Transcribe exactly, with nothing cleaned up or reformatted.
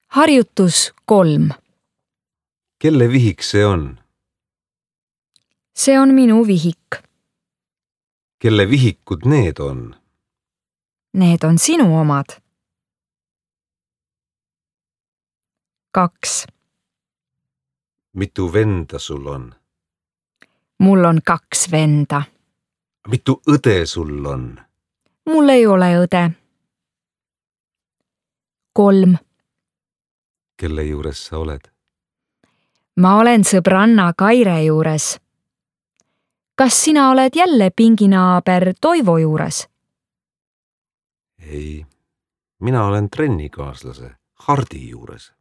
Harjutus kolm. Kelle vihik see on? See on minu vihik. Kelle vihikud need on? Need on sinu omad. Kaks. Mitu venda sul on? Mul on kaks venda. Mitu õde sul on? Mul ei ole õde. Kolm. Kelle juures sa oled? Ma olen sõbranna Kaire juures. Kas sina oled jälle pinginaaber Toivo juures? Ei, mina olen trennikaaslase Hardi juures.